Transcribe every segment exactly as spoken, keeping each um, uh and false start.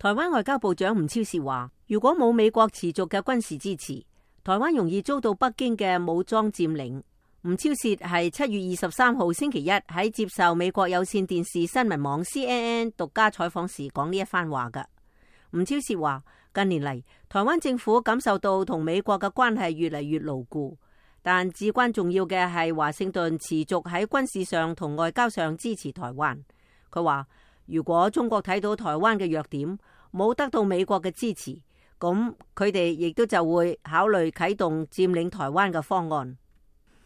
台灣外交部長吳釗燮話，如果冇美國持續嘅軍事支持，台灣容易遭到北京嘅武裝佔領。吳釗燮係七月二十三號星期一喺接受美國有線電視新聞網 C N N 獨家採訪時講呢一番話㗎。吳釗燮話，近年嚟，台灣政府感受到同美國嘅關係越嚟越牢固，但至關重要嘅係華盛頓持續喺軍事上同外交上支持台灣。佢話，如果中國睇到台灣嘅弱點，冇得到美國嘅支持，咁佢哋亦都就會考慮啟動佔領台灣嘅方案。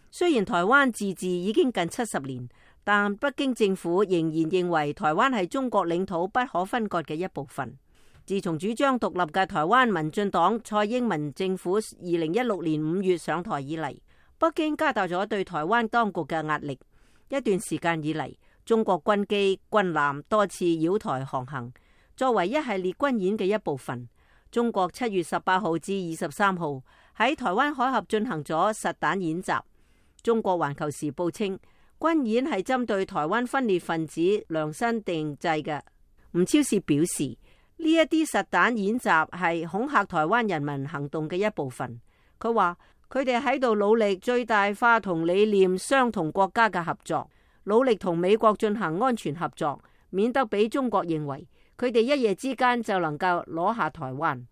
雖然台灣自治已經近七十年，但北京政府仍然認為台灣係中國領土不可分割嘅一部分。自從主張獨立嘅台灣民進黨蔡英文政府二零一六年五月上台以嚟，北京加大咗對台灣當局嘅壓力。一段時間以嚟，中國軍機軍艦多次繞台航行，作為一系列軍演嘅一部分。中國七月十八號至二十三號喺台灣海峽進行咗實彈演習。中國環球時報稱，軍演係針對台灣分裂分子量身定製嘅。吳釗燮表示，呢一啲實彈演習係恐嚇台灣人民行動嘅一部分。佢話佢哋喺度努力最大化同理念相同國家嘅合作，努力同美國進行安全合作，免得俾中國認為佢哋一夜之間就能夠攞下台灣。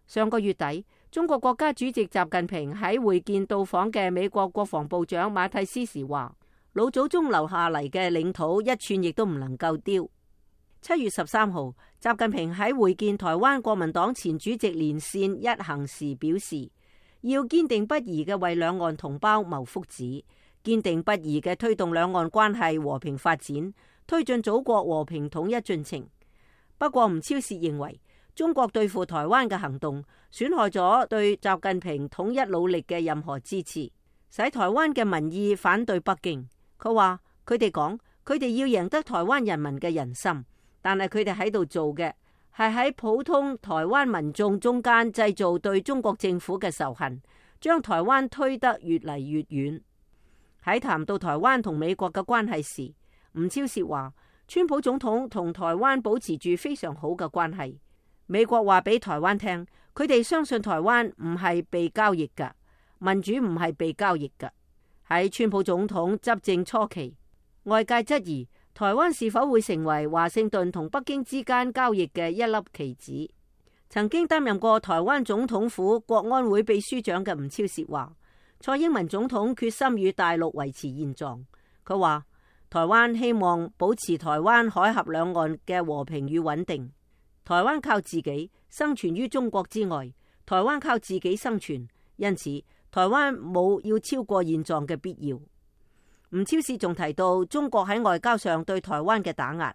上個月底，中國國家主席習近平喺會見到訪嘅美國國防部長馬蒂斯時話，老祖宗留下嚟嘅領土一寸亦都唔能夠丟。七月十三號，習近平喺會見台灣國民黨前主席連線一行時表示，要堅定不移嘅為兩岸同胞謀福祉，堅定不移嘅推動兩岸關係和平發展，推進祖國和平統一進程。不過吳釗燮認為，中國對付台灣嘅行動損害咗對習近平統一努力嘅任何支持，使台灣嘅民意反對北京。佢話佢哋講，佢哋要贏得台灣人民嘅人心，但係佢哋喺度做嘅係喺普通台灣民眾中間製造對中國政府嘅仇恨，將台灣推得越嚟越遠。喺談到台灣同美國嘅關係時，吳釗燮話，川普總統同台灣保持住非常好嘅關係。美國話俾台灣聽，佢哋相信台灣唔係被交易㗎，民主唔係被交易㗎。喺川普總統執政初期，外界質疑台灣是否會成為華盛頓同北京之間交易嘅一粒棋子。曾經擔任過台灣總統府國安會秘書長嘅吳釗燮話，蔡英文總統決心與大陸維持現狀。佢話台灣希望保持台灣海峽兩岸嘅和平與穩定。台灣靠自己生存於中國之外，台灣靠自己生存，因此台灣冇要超過現狀嘅必要。吳釗燮仲提到中國喺外交上對台灣嘅打壓，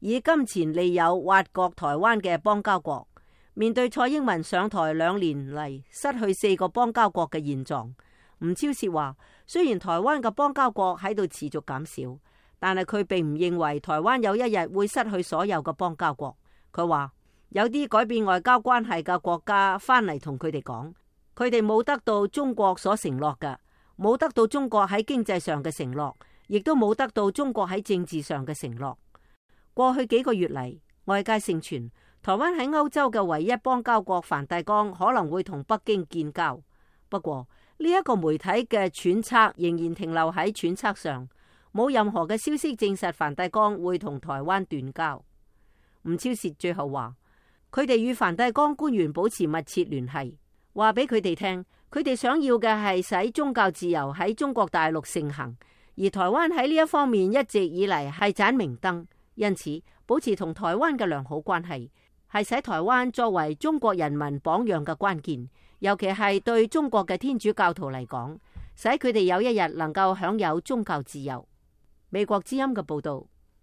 以金錢利誘挖角台灣嘅邦交國。面對蔡英文上台兩年嚟失去四個邦交國嘅現狀，吳釗燮話，雖然台灣嘅邦交國喺度持續減少，但係佢並唔認為台灣有一日會失去所有嘅邦交國。佢話有啲改變外交關係嘅國家翻嚟同佢哋講，佢哋冇得到中國所承諾嘅，冇得到中國喺經濟上嘅承諾，亦都冇得到中國喺政治上嘅承諾。過去幾個月嚟，外界盛傳台灣喺歐洲嘅唯一邦交國梵蒂岡可能會同北京建交。不過呢一個媒體嘅揣測仍然停留喺揣測上，冇任何嘅消息證實梵蒂岡會同台灣斷交。吳釗燮最後話，佢哋與梵蒂岡官員保持密切聯繫，話俾佢哋聽，佢哋想要嘅係使宗教自由喺中國大陸盛行，而台灣喺呢一方面一直以嚟係盞明燈，因此保持同台灣嘅良好關係，係使台灣作為中國人民榜樣嘅關鍵，尤其係對中國嘅天主教徒嚟講，使佢哋有一日能夠享有宗教自由。美國之音嘅報道。